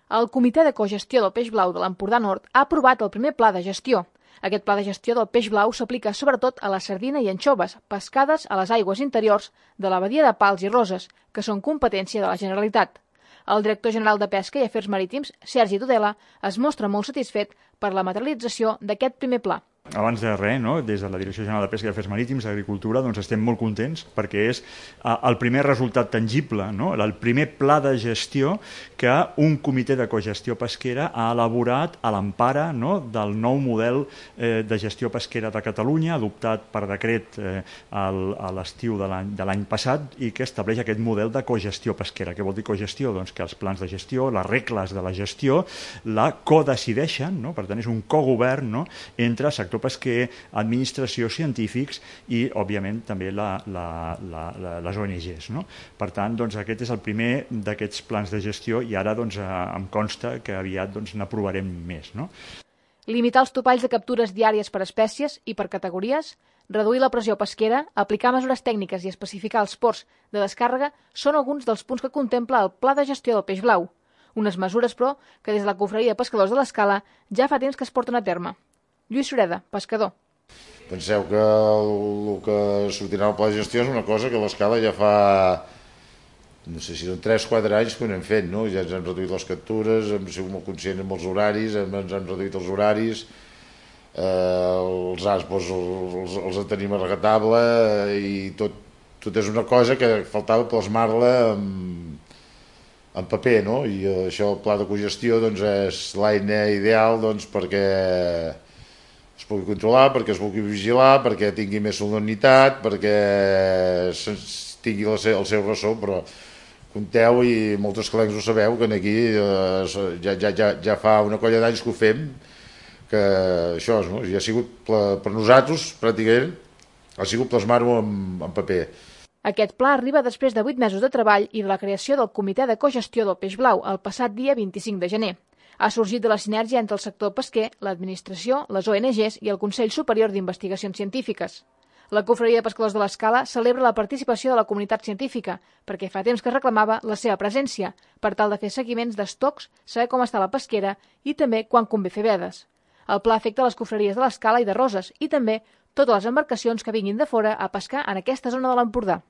El Comitè de Cogestió del Peix Blau de l'Empordà Nord ha aprovat el primer pla de gestió. Aquest pla de gestió del peix blau s'aplica sobretot a la sardina i anxoves, pescades a les aigües interiors de la badia de Pals i Roses, que són competència de la Generalitat. El director general de Pesca i Afers Marítims, Sergi Tudela, es mostra molt satisfet per la materialització d'aquest primer pla. Abans de res, des de la Direcció General de Pesca i Afers Marítims i Agricultura, estem molt contents perquè és el primer resultat tangible, el primer pla de gestió que un comitè de cogestió pesquera ha elaborat a l'empara del nou model de gestió pesquera de Catalunya, adoptat per decret a l'estiu de l'any passat i que estableix aquest model de cogestió pesquera. Què vol dir cogestió? Doncs que els plans de gestió, les regles de la gestió, la codecideixen, per tant és un cogovern entre sector pesquer, administració, científics i, òbviament, també les ONGs. Per tant, aquest és el primer d'aquests plans de gestió i ara em consta que aviat n'aprovarem més. Limitar els topalls de captures diàries per espècies i per categories, reduir la pressió pesquera, aplicar mesures tècniques i especificar els ports de descàrrega són alguns dels punts que contempla el Pla de Gestió del Peix Blau. Unes mesures, però, que des de la Confraria de Pescadors de l'Escala ja fa temps que es porten a terme. Lluís Sureda, pescador. Penseu que el que sortirà al pla de gestió és una cosa que l'Escala ja fa, no sé si són 3-4 anys que ho anem fent, ja ens han reduït les captures, hem sigut molt conscients amb els horaris, ens han reduït els horaris, els ASPOs els tenim a rajatabla i tot és una cosa que faltava plasmar-la en paper, i això, el pla de cogestió, és l'eina ideal perquè es pugui controlar, perquè es pugui vigilar, perquè tingui més solemnitat, perquè tingui el seu ressò, però compteu, i molts escalencs ho sabeu, que aquí ja fa una colla d'anys que ho fem, que això ja ha sigut per nosaltres, pràcticament, ha sigut plasmar-ho en paper. Aquest pla arriba després de 8 mesos de treball i de la creació del Comitè de Cogestió del Peix Blau el passat dia 25 de gener. Ha sorgit de la sinergia entre el sector pesquer, l'administració, les ONGs i el Consell Superior d'Investigacions Científiques. La Confraria de Pescadors de l'Escala celebra la participació de la comunitat científica, perquè fa temps que reclamava la seva presència, per tal de fer seguiments d'estocs, saber com està la pesquera i també quan convé fer vedes. El pla afecta les confraries de l'Escala i de Roses i també totes les embarcacions que vinguin de fora a pescar en aquesta zona de l'Empordà.